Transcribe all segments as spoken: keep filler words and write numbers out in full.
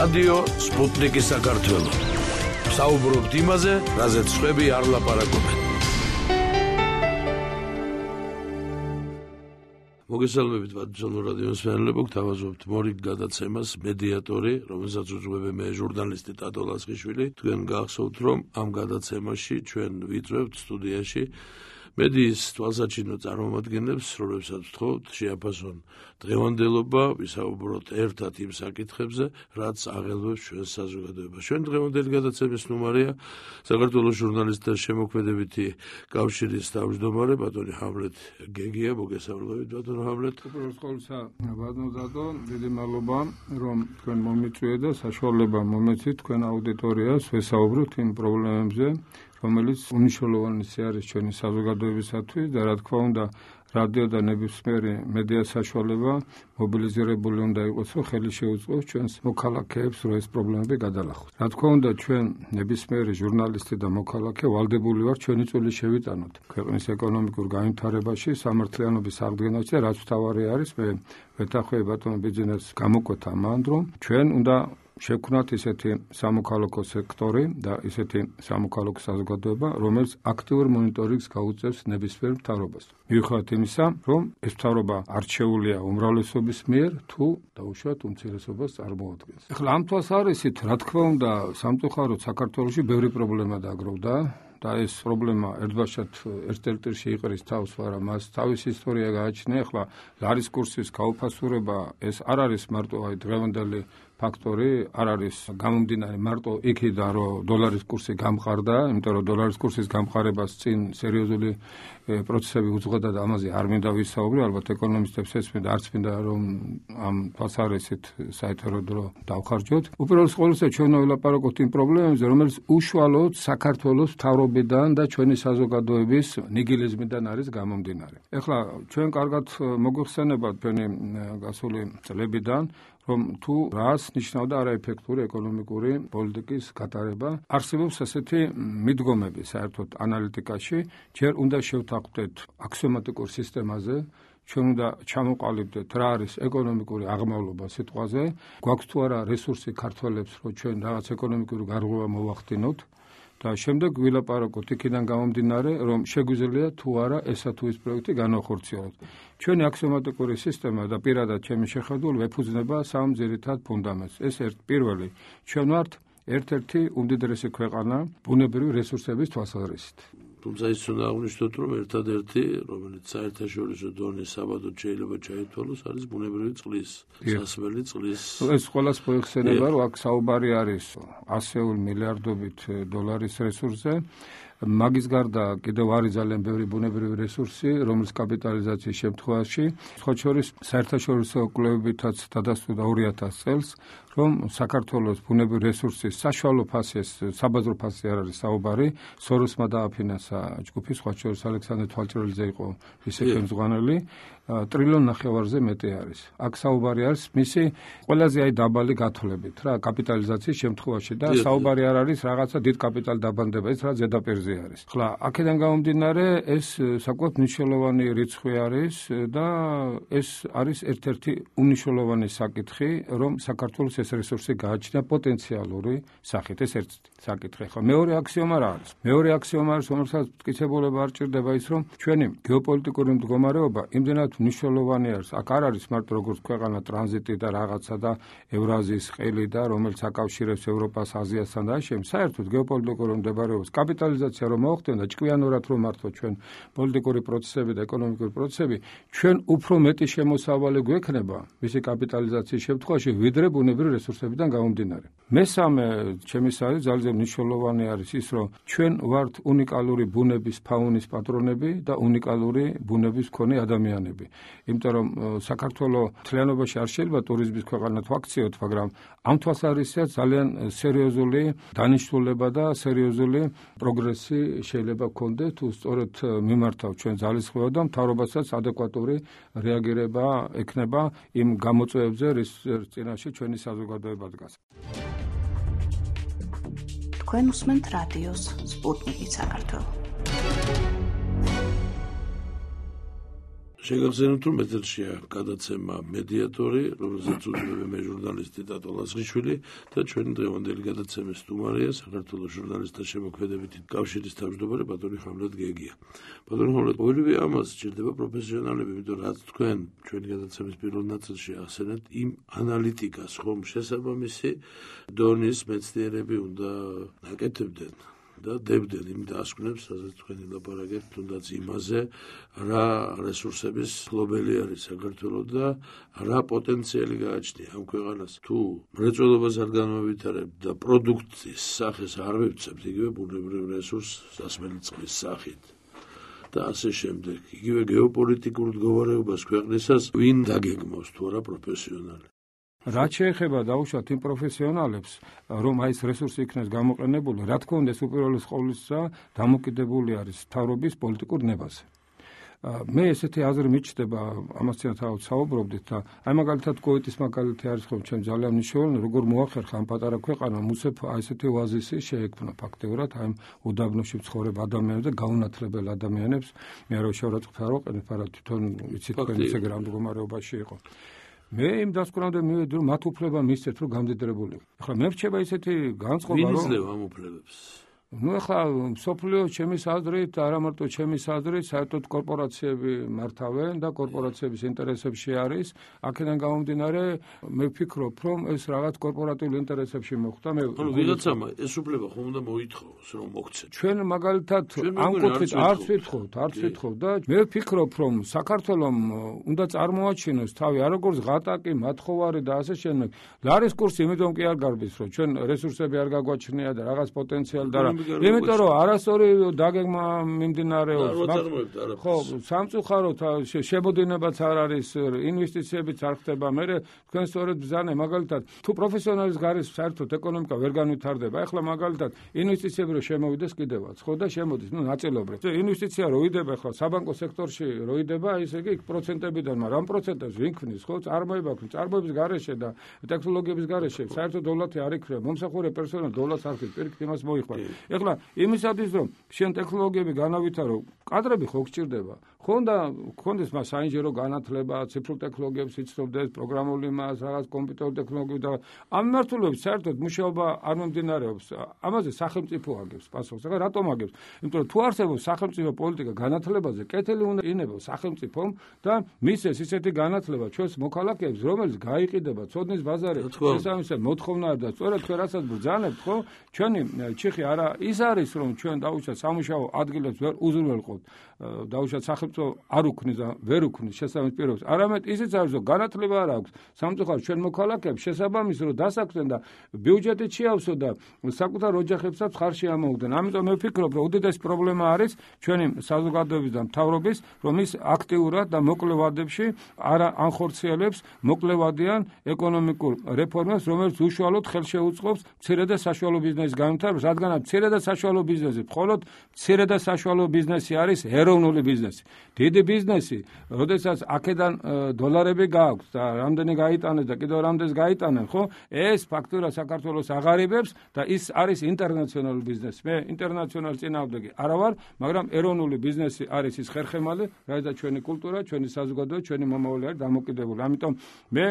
რადიო სპუტნიკი საქართველო. საუბრობთ იმაზე, რაზეც სხვები არ ლაპარაკობენ. მოგესალმებით ბატონო რადიოს მსმენელებო, გთავაზობთ მორიგ გადაცემას მედიატორი, რომელსაც უძღვები მე ჟურნალისტი ტატო ლასხიშვილი. თქვენ გახსოვთ, რომ ამ გადაცემაში ჩვენ ვიწვევთ სტუდიაში მედიის თვალსაჩინო წარმომადგენლებს, რომლებსაც ვთხოვთ შეაფასონ დღევანდელობა, ვისაუბროთ ერთად იმ საკითხებზე, რაც აღელვებს ჩვენს საზოგადოებას. ჩვენ დღევანდელი გადაცემის ნომერია საქართველოს ჟურნალისტთა შემოქმედებითი კავშირის თავმჯდომარე ბატონი ჰამლეთ გეგია. მოგესალმებით ბატონო ჰამლეთ. უპირველეს ყოვლისა ბატონო დადო, დიდი მადლობა რომ თქვენ მომიწვიეთ და საშუალება მომეცით თქვენ აუდიტორიას ვესაუბროთ იმ პრობლემებზე, რომელიც უნიშნულოვანესი არის ჩვენი საზოგადოებისათვის და რა თქმა უნდა რადიო და ნებისმიერი მედია საშუალება მობილიზირებული უნდა იყოს, რომ ხელი შეუწყოს ჩვენს მოქალაქეებს, რომ ეს პრობლემები გადალახოს. რა თქმა უნდა ჩვენ ნებისმიერი ჟურნალისტი და მოქალაქე ვალდებული ვართ ჩვენი წვლილი შევიტანოთ ქვეყნის ეკონომიკურ განვითარებაში, სამართლიანობის აღდგენაში და რაც მთავარი არის, მე ვეთანხმები ბატონო ბიძინას გამოკვეთა ამან, რომ ჩვენ უნდა შევქმნათ ისეთი სამოქალაქო სექტორი და ისეთი სამოქალაქო საზოგადოება, რომელიც აქტიურ მონიტორინგს გაუწევს ნებისმიერ მთავრობას. მიუხედავად იმისა, რომ ეს მთავრობა არჩეულია უმრავლესობის მიერ, თუ დაუშვათ უმცირესობას წარმოადგენს. ახლა ამ თვალსაზრისით, რა თქმა უნდა, სამწუხაროდ საქართველოში ბევრი პრობლემა დააგროვდა. და ეს პრობლემა ერთბაშად ერთ-ერთში იყრის თავს, მაგრამ მას თავისი ისტორია გააჩნია. ახლა ლარის კურსის გაუფასურება ეს არ არის მარტო აი დღევანდელი ფაქტორი, არ არის გამომდინარე მარტო იქიდან, რომ დოლარის კურსი გამყარდა, იმიტომ რომ დოლარის კურსის გამყარებას წინ სერიოზული პროცესები უძღვედა და ამაზე არ მინდა ვისაუბრო, ალბათ ეკონომისტებს ესმენთ, არც მინდა რომ ამ თვალსაზრისით საერთო დრო დავხარჯოთ. უპირველეს ყოვლისა ჩვენ ვილაპარაკოთ იმ პრობლემებზე, რომელიც უშუალოდ საქართველოს მთავრობიდან და ჩვენი საზოგადოების ნიგილიზმიდან არის გამომდინარე. ახლა ჩვენ კარგად მოგვიხსენებათ ჩვენი გასული წლებიდან, რომ თუ რას ნიშნავდა არაეფექტური ეკონომიკური პოლიტიკის გატარება. არსებობს ასეთი მიდგომები საერთოდ ანალიტიკაში, ჯერ უნდა შევთანხმდეთ აქსიომატიკურ სისტემაზე, ჩვენ უნდა ჩამოყალიბდეთ რა არის ეკონომიკური აღმავლობა სიტყვაზე, გვაქვს თუ არა რესურსი ქართველებს, რომ ჩვენ რაღაც ეკონომიკური გარღვევა მოვახდინოთ. და შემდეგ ვილაპარაკოთ იქიდან გამომდინარე, რომ შეგვიძლია თუ არა ესა თუ ის პროექტი განახორციელოთ. ჩვენი აქსიომატიკური სისტემა და პირადად ჩემი შეხედულება ეფუძნება სამ ძირითად ფუნდამენტს. ეს ერთ პირველი, ჩვენ ვართ ერთ-ერთი უმდიდრესი ქვეყანა ბუნებრივი რესურსების თვალსაზრისით. თუმცა ის უნდა აღნიშნოთ, რომ ერთადერთი, რომელიც საერთაშორისო დონის საბადოდ შეიძლება ჩაითვალოს, არის ბუნებრივი წყლის, სასმელი წყლის. ეს ყველას მოიხსენება, რომ აქ საუბარი არის ასეული მილიარდობით დოლარის რესურსზე. მაგის გარდა კიდევ არის ძალიან ბევრი ბუნებრივი რესურსი, რომლის კაპიტალიზაციის შემთხვევაში, სხვა შორის საერთაშორისო კვლევებითაც დადასტურდა ორი ათასი წელს, რომ საქართველოს ბუნებრივი რესურსის საშუალო ფასი, საბაზრო ფასი არ არის საუბარი, სოროსმა დააფინანსა ჯგუფი, სხვა შორის ალექსანდრე თვალჭრელიძე იყო მისი ხელმძღვანელი, ტრილიონ ნახევარზე მეტი არის. აქ საუბარი არის მისი ყველაზე აი დაბალი გათვლებით რა, კაპიტალიზაციის შემთხვევაში და საუბარი არ არის რაღაცა დიდ კაპიტალ დაბანდება, ეს რა ზედაპირზე არის. ხლა აქედან გამომდინარე ეს საკმაოდ მნიშვნელოვანი რიცხვი არის და ეს არის ერთ-ერთი უნიშნულოვანი საკითხი, რომ საქართველოს ეს რესურსი გააჩნია პოტენციალური სახით. ეს ერთ საკითხი. ხლა მეორე აქსიომა რა არის? მეორე აქსიომა არის, რომელსაც მტკიცებულება არ ჭირდება ის, რომ ჩვენი გეოპოლიტიკური მდგომარეობა იმდენად მნიშვნელოვანი არის. აქ არ არის მარტო როგორც ქვეყანა ტრანზიტი და რაღაცა და ევრაზიის ყელი და რომელიც აკავშირებს ევროპას, აზიასთან და ამ საერთოდ გეოპოლიტიკური მდგომარეობის კაპიტალიზაცია რომ მოხდება და ჭკვიანურად რომ მართლა ჩვენ პოლიტიკური პროცესები და ეკონომიკური პროცესები, ჩვენ უფრო მეტი შემოსავალი გვექნება მისი კაპიტალიზაციის შემთხვევაში, ვიდრე ბუნებრივი რესურსებიდან გამომდინარე. მესამე ჩემისათვის ძალიან მნიშვნელოვანი არის ის, რომ ჩვენ ვართ უნიკალური ბუნების ფაუნის პატრონები და უნიკალური ბუნების მქონე ადამიანები. იმიტომ რომ საქართველოს მთლიანობაში არ შეიძლება ტურიზმის ქვეყანად ვაქციოთ, მაგრამ ამ თვალსაზრისით ძალიან სერიოზული დანიშნულება და სერიოზული პროგრესი შეიძლება გქონდეთ, თუ სწორედ მიმართავ ჩვენ ძალისხმევად და მთავრობასაც ადეკვატური რეაგირება ექნება იმ გამოწვევებზე, რის წინაშე ჩვენი საზოგადოება დგას. თქვენ უსმენთ რადიოს სპუტნიკი საქართველო. შეგახსენებთ, რომ ეთერშია გადაცემა მედიატორი, რომელსაც უძღვება მე ჟურნალისტი დატო ლაცხიშვილი და ჩვენი დღევანდელი გადაცემის სტუმარია საქართველოს ჟურნალისტთა შემოქმედებითი კავშირის თავმჯდომარე ბატონი ხამლეთ გეგია. ბატონი ხამლეთ, ყოველივე ამას სჭირდება პროფესიონალები, იმიტომ რაც თქვენ ჩვენი გადაცემის პირველ ნაწილში ახსენეთ, იმ ანალიტიკას, ხომ შესაბამისი დონის მეცნიერები უნდა აკეთებდნენ. და დებდნენ იმ დასკვნებს, სადაც თქვენ ელაპარაკებთ თუნდაც იმაზე, რა რესურსების ფლობელი არის საქართველოს და რა პოტენციალი გააჩნია ამ ქვეყანას. თუ მრეწველობას არ განმავითარებთ და პროდუქციის სახეს არ ვივცემთ იგივე ბუნებრივ რესურსს სასმელი წყლის სახით და ასე შემდეგ. იგივე გეოპოლიტიკურ მდგომარეობას ქვეყნისას ვინ დაგეგმავს თუ არა პროფესიონალი. რაც შეეხება დაუშვათ იმ პროფესიონალებს, რომ აი ეს რესურსი იქნეს გამოყენებული, რა თქმა უნდა, ეს უპირველეს ყოვლისა დამოკიდებული არის მთავრობის პოლიტიკურ ნებაზე. მე ესეთი აზრი მიჩნდება, ამასთან თავად საუბრობდით და აი მაგალითად კუვეიტის მაგალითი არის ხომ ჩემ ძალიან მნიშვნელოვანი, როგორ მოახერხა ამ პატარა ქვეყანამ უცებ აი ესეთი ოაზისი შეექმნა ფაქტიურად აი უდაბნოში მცხოვრებ ადამიანებს და გაუნათლებელ ადამიანებს, მე არ შევარაცხოთ არ ვყენებ, არა თვითონ იცით თქვენ ისე გრამ მდგომარეობაში იყო. მე იმ დასკვნამდე მივედი, რომ მათ უფლება მისცეთ, რომ გამდიდრებული. ახლა მე რჩება ისეთი განწყობა, რომ ვინ იძლევა ამ უფლებებს? ნუ ახლა მსოფლიო ჩემის აზრით, არა მარტო ჩემის აზრით, საერთოდ კორპორაციები მართავენ და კორპორაციების ინტერესებში არის. აქედან გამომდინარე, მე ვფიქრობ, რომ ეს რაღაც კორპორატიულ ინტერესებში მოხდა. მე ანუ ვიღაცამ ეს უფლება ხომ უნდა მოითხოვოს, რომ მოგცეთ. ჩვენ მაგალითად ამ კუთხით არც ვითხოვთ, არც ვითხოვთ და მე ვფიქრობ, რომ საქართველოს უნდა წარმოაჩინოს თავი არ როგორც ღატაკი, მათხოვარი და ასე შემდეგ. ლარის კურსი იმიტომ კი არ გარბის, რომ ჩვენ რესურსები არ გაგვაჩნია და რაღაც პოტენციალი და იმიტომ რომ არასწორი დაგეგმა მიმდინარეობს. ხო, სამწუხაროდ შემოდინებაც არ არის, ინვესტიციებიც არ ხდება. მე თქვენ სწორედ ბრძანე, მაგალითად, თუ პროფესიონალის გარეს საერთოდ ეკონომიკა ვერ განვითარდება, ეხლა მაგალითად ინვესტიციები რო შემოვიდეს კიდევაც, ხო და შემოდის, ნუ ნაწილობრივ. ინვესტიცია რო იდება ახლა საბანკო სექტორში რო იდება, ისე იგი პროცენტებიდან, მაგრამ ამ პროცენტებს ვინ ქმნის, ხო, წარმოება ქმნის, წარმოების გარეშე და ტექნოლოგიების გარეშე, საერთოდ დოლარი არ იქნება, მომსახურე პერსონალი დოლარს არ ხდის, პირიქით იმას მოიხმარ. ეხლა იმისათვის რომ შენ ტექნოლოგიები განავითარო, კადრები ხო გჭირდება. ხო და გქონდეს მას საინჟინრო განათლება, ციფრულ ტექნოლოგიებს იცნობდეს, პროგრამული მას, რაღაც კომპიუტერული ტექნოლოგიები და ამ მიმართულებით საერთოდ მუშაობა არ მომდინარეობს. ამაზე სახელმწიფო აგებს პასუხს. ახლა რატომ აგებს? იმიტომ რომ თუ არსებობს სახელმწიფო პოლიტიკა განათლებაზე, კეთილი უნდა ინებოს სახელმწიფომ და მისცეს ისეთი განათლება ჩვენს მოქალაქეებს, რომელიც გაიყიდება ცოდნის ბაზარი, შესაბამისად მოთხოვნაა და სწორედ თქვენ რასაც ბრძანებთ, ხო? ჩვენი ჩიხი არა ის არის, რომ ჩვენ დაუშვათ სამუშაო ადგილებს ვერ უზრუნველყოთ, დაუშვათ სახელმწიფო არ უქმნის და ვერ უქმნის შესაბამის პირობებს. არამედ ისიც არის, რომ განათლება არ აქვს სამწუხაროდ ჩვენ მოქალაქეებს შესაბამის რომ დასაქმდნენ და ბიუჯეტით შეავსო და საკუთარ ოჯახებსაც ხარში ამოუგდნენ. ამიტომ მე ვფიქრობ, რომ უდიდესი პრობლემა არის ჩვენი საზოგადოების და მთავრობის, რომ ის აქტიურად და მოკლე ვადებში არ ანხორციელებს მოკლევადიან ეკონომიკურ რეფორმებს, რომელიც უშუალოდ ხელშეუწყობს მცირე და საშუალო ბიზნესის განვითარებას, რადგანაც მცირე და საშუალო ბიზნესი, მხოლოდ მცირე და საშუალო ბიზნესი არის ეროვნული ბიზნესი. დიდი ბიზნესი, როდესაც აქედან დოლარები გააქვს და რამდენი გაიტანეს და კიდევ რამდენს გაიტანენ, ხო? ეს ფაქტურად საქართველოს აღარებებს და ის არის ინტერნაციონალური ბიზნესი. მე ინტერნაციონალის წინააღმდეგი არა ვარ, მაგრამ ეროვნული ბიზნესი არის ის ხერხემალი, რასაც ჩვენი კულტურა, ჩვენი საზოგადოება, ჩვენი მომავალი არის დამოკიდებული. ამიტომ მე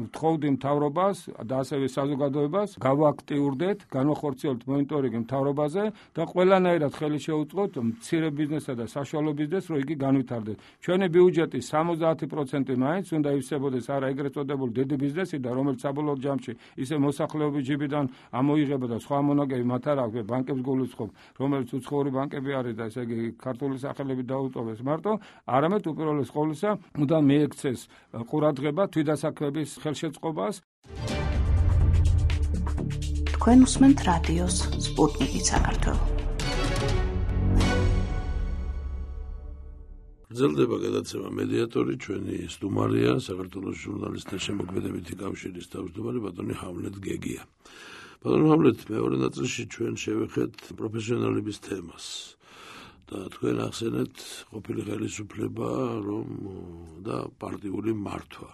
ვთხოვდი მთავრობას და ასევე საზოგადოებას გავაქტიურდეთ, განვახორციელებთ მონიტორინგი მთავრობაზე და ყველანაირად ხელი შეუწყოთ მცირე ბიზნესსა და საშუალო ბიზნესს, რომ იგი განვითარდეს. ჩვენი ბიუჯეტის სამოცდაათი პროცენტი მაინც უნდა ივსებოდეს არა ეგრეთ წოდებული დიდი ბიზნესიდან, რომელიც საბოლოო ჯამში ისე მოსახლეობის ჯიბიდან ამოიღება და სხვა მონაგები მათ არ აქვს, ბანკებს გულისხმობ, რომელიც უცხოური ბანკები არის და ესე იგი ქართული სახელები დაუწოვეს მარტო, არამედ უპირველეს ყოვლისა უნდა მიექცეს ყურადღება თვითდასაქმების ხელშეწყობას. თქვენ უსმენთ რადიოს სპუტნიკი საქართველო. გრძელდება გადაცემა მედიატორი, ჩვენი სტუმარია საქართველოს ჟურნალისტთა შემოქმედებითი კავშირის თავმჯდომარე ბატონი ხამლეთ გეგია. ბატონი ხამლეთ, მეორე ნაწილში ჩვენ შევეხეთ პროფესიონალების თემას და თქვენ ახსენეთ ყოფილი ხელისუფლება, რომ და პარტიული მართვა.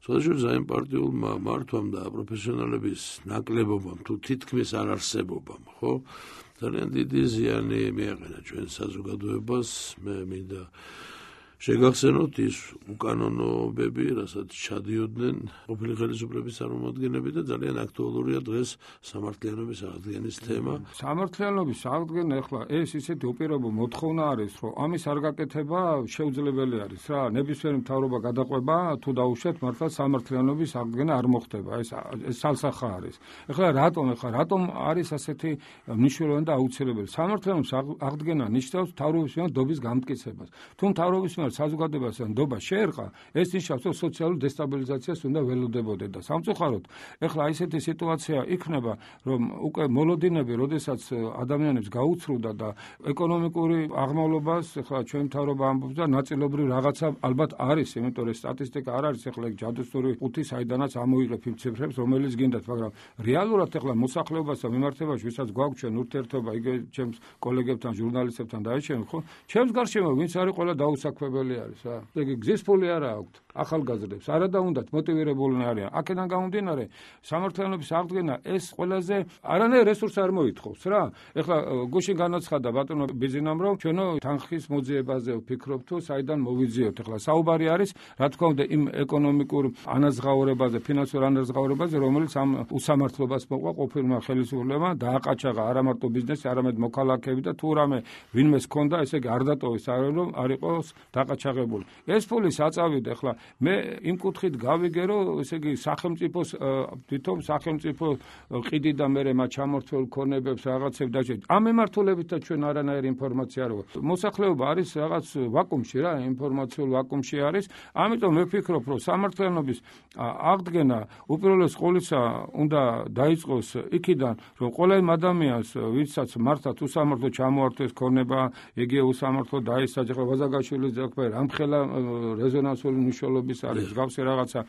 სხვადასხვა ზაიმ პარტიულმა მართვამ და პროფესიონალების ნაკლებობამ თუ თითქმის არ არსებობამ, ხო? ძალიან დიდი ზიანი მიაყენა ჩვენ საზოგადოებას. მე მინდა შეგახსენოთ ის უკანონოებები, რასაც ჩადიოდნენ ყოფილი ხელისუფლების წარმომადგენლები და ძალიან აქტუალურია დღეს სამართლიანობის აღდგენის თემა. სამართლიანობის აღდგენა ახლა ეს ისეთი უპირობო მოთხოვნა არის, რომ ამის არ გაკეთება შეუძლებელი არის რა. ნებისმიერი მთავრობა გადაყვება თუ დაუშვათ მართლა სამართლიანობის აღდგენა არ მოხდება. ეს ეს სალსახა არის. ახლა რატომ ახლა რატომ არის ასეთი მნიშვნელოვანი და აუცილებელი? სამართლიანობის აღდგენა ნიშნავს მთავრობის მიერ დობის გამტკიცებას. თუ მთავრობის მიერ საზოგადოებას ნდობა შეერყა, ეს ნიშნავს, რომ სოციალურ დესტაბილიზაციას უნდა ველოდებოდეთ და სამწუხაროდ, ეხლა ისეთი სიტუაცია იქნება, რომ უკვე მოლოდინები, როდესაც ადამიანებს გაუცრუდა და ეკონომიკური აღმავლობას, ეხლა ჩვენ მთავრობა ამბობს და ნაწილობრივ რაღაცა ალბათ არის, იმიტომ რომ სტატისტიკა არ არის, ეხლა ეგ ჯადოსნური ყუთი, საიდანაც ამოიღებ იმ ციფრებს, რომელიც გინდათ, მაგრამ რეალურად ეხლა მოსახლეობასთან მიმართებაში, ვისაც გვაქვს ჩვენ ურთიერთობა, იგივე ჩემს კოლეგებთან, ჟურნალისტებთან და აიჩემ, ხო? ჩემს გარშემო ვინც არის ყველა დაუსაქმებელი არის რა. ეგ გზის ფული არა აქვთ ახალგაზრდებს. არა და უნდათ მოტივირებულნი არიან. აქედან გამომდინარე, სამართლიანობის აღდგენა ეს ყველაზე არანაირ რესურს არ მოითხოვს რა. ეხლა გუშინ განაცხადა ბატონო ბიზინამ, რომ ჩვენო თანხის მოძიებაზე ვფიქრობ თუ საიდან მოვიძიოთ. ეხლა საუბარი არის, რა თქმა უნდა, იმ ეკონომიკურ ანაზღაურებაზე, ფინანსურ ანაზღაურებაზე, რომელიც ამ უსამართლობას მოყვა ყოფილმა ხელისუფლებამ დააყაჩაღა არა მარტო ბიზნესი, არამედ მოქალაქეები და თუ რამე ვინმე ჰქონდა, ესე იგი არ დატოვეს, რომ არ იყოს დაყაჩაღებული. ეს ფული საწავიდა. ეხლა მე იმ კუთხით გავიგე, რომ ესე იგი სახელმწიფოს თვითონ სახელმწიფო ყიდი და მე მათ ჩამორთველ ქონებებს რაღაცებს დაჭერით. ამ მიმართულებითაც ჩვენ არანაირი ინფორმაცია არ გვაქვს. მოსახლეობა არის რაღაც ვაკუუმში რა, ინფორმაციულ ვაკუუმში არის. ამიტომ მე ვფიქრობ, რომ სამართლიანობის აღდგენა უპირველეს ყოვლისა უნდა დაიწყოს იქიდან, რომ ყველა იმ ადამიანს, ვისაც მართლაც უსამართლო ჩამოართვეს ქონება, იგივე უსამართლო დაისაჯა, ვაზაგაშვილის ძაქვე რამხელა რეზონანსული მნიშვნელობის არის მსგავსი რაღაცა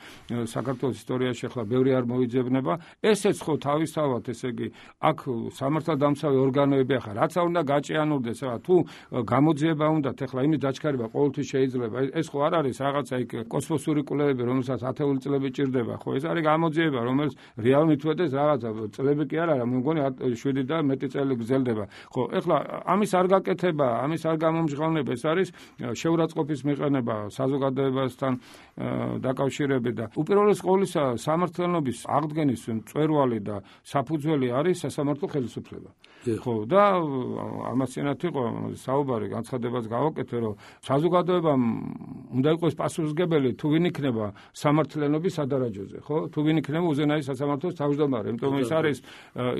საქართველოს ისტორიაში ახლა ბევრი არ მოიძებნება. ესეც ხო თავისთავად, ესე იგი, აქ სამართალდამცავი ორგანოები ახლა რაც უნდა გაჭიანურდეს, რა თუ გამოძიება უნდათ, ახლა იმის დაჩქარება ყოველთვის შეიძლება. ეს ხო არ არის რაღაცა იქ კოსმოსური კვლევები, რომელსაც ათეული წლები ჭირდება, ხო ეს არის გამოძიება, რომელიც რეალურად მithვედეს რაღაცა წლები კი არ არა, მე მგონი შვიდი და მეტი წელი გრძელდება. ხო, ახლა ამის არ გაკეთება, ამის არ გამომჟღავნება, ეს არის შეურაცხყოფის მიყენება საზოგადოებასთან დაკავშირებით და უპირველეს ყოვლისა სამართლიანობის აღდგენის მწვერვალი და საფუძველი არის სასამართლო ხელისუფლება. ხო და ამასთანავე იყო საუბარი, განცხადებაც გავაკეთე, რომ საზოგადოებამ უნდა იყოს პასუხისმგებელი თუ ვინ იქნება სამართლიანობის სადარაჯოზე, ხო? თუ ვინ იქნება უზენაეს სასამართლოს თავმჯდომარე, იმიტომ რომ ეს არის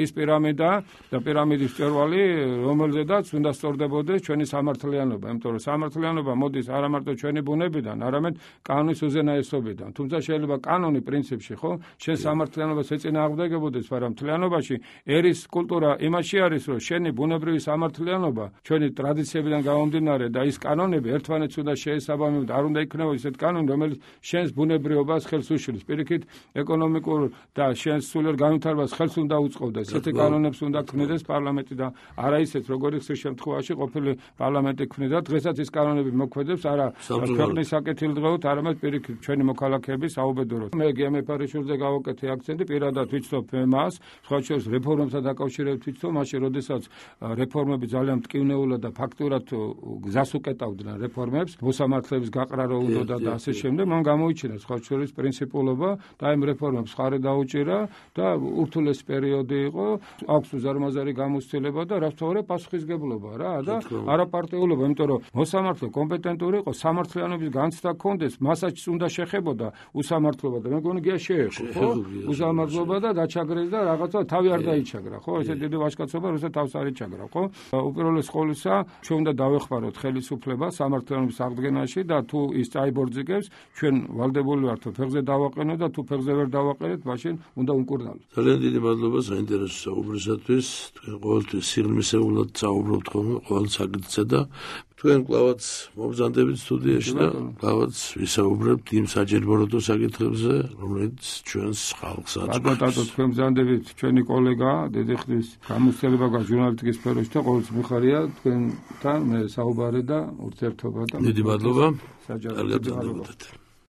ის პირამიდა და პირამიდის მწვერვალი, რომელზედაც უნდა სწორდებოდეს ჩვენი სამართლიანობა, იმიტომ რომ სამართლიანობა მოდის არა მარტო ჩვენი ბუნებიდან, არამედ კანონის უზენაესობიდან. თუმცა შეიძლება კანონი პრინციპში, ხო, შენ სამართლიანობას ეწინააღმდეგებოდეს, მაგრამ მთლიანობაში ერის კულტურა იმაში არის, რომ შენი ბუნებრივი სამართლიანობა, ჩვენი ტრადიციებიდან გამომდინარე და ის კანონები ერთმანეთს უნდა შეესაბამებოდეს, არ უნდა იქნებოდეს ესეთ კანონი, რომელიც შენს ბუნებრიობას ხელს უშლის. პირიქით, ეკონომიკურ და შენს სულიერ განვითარებას ხელს უნდა უწყობდა. ესეთი კანონებს უნდა ქმნიდეს პარლამენტი და არა ისეთ, როგორი ხშირ შემთხვევაში ყოფილი პარლამენტი ქმნიდა. დღესაც ის კანონები მოქმედებს არა ქვეყნის საკეთილდღეოდ, არამედ პირიქით ჩვენი მოქალაქეების საუბედუროდ. მე გემეფარიშვილზე გავაკეთე აქცენტი, პირადად ვიცნობ მას, სხვა შორის რეფორმებთან დაკავშირებით ვიცნობ, მაშინ როდესაც რეფორმები ძალიან მტკივნეულად და ფაქტურად გზას უკეტავდნენ რეფორმებს, მოსამართლეების გაყრა რო უნდა და ასე შემდეგ, მან გამოიჩინა სხვა შორის პრინციპულობა და იმ რეფორმებს ხარი დაუჭირა და ურთულეს პერიოდი იყო, აქვს უზარმაზარი გამოცდილება და რასთავარია პასუხისგებლობა რა და არაპარტიულობა, იმიტომ რომ მოსამართლე კომპეტენტური იყო, სამართლიანობის განცდა ჰქონდეს, მასაც უნდა შეხებოდა უსამართლობა და მე მგონი გია შეეხო, ხო? უსამართლობა და დაჩაგრეს და რაღაცა თავი არ დაიჩაგრა, ხო? ესე დიდი ვაჟკაცობა, როცა თავს არ იჩაგრა, ხო? უპირველეს ყოვლისა, ჩვენ უნდა დავეხმაროთ ხელისუფლება სამართლიანობის აღდგენაში და თუ ის წაიბორძიგებს, ჩვენ ვალდებული ვართ ფეხზე დავაყენოთ და თუ ფეხზე ვერ დავაყენეთ, მაშინ უნდა უკურნალოთ. ძალიან დიდი მადლობა საინტერესო საუბრისათვის. თქვენ ყოველთვის სიღრმისეულად საუბრობთ ხოლმე ყოველ საკითხზე და თქვენ კლავაც მობრძანდებით სტუდიაში და კლავაც ვისაუბრებთ იმ საჯერბოროტო საკითხებზე, რომელიც ჩვენს ხალხს აწყობს. ბატონო, თქვენ ბრძანდებით, ჩვენი კოლეგა, დიდი ხნის გამოცდილება გაქვს ჟურნალისტიკის სფეროში და ყოველთვის მიხარია თქვენთან მე საუბარი და ურთიერთობა და დიდი მადლობა. საჯაროდ.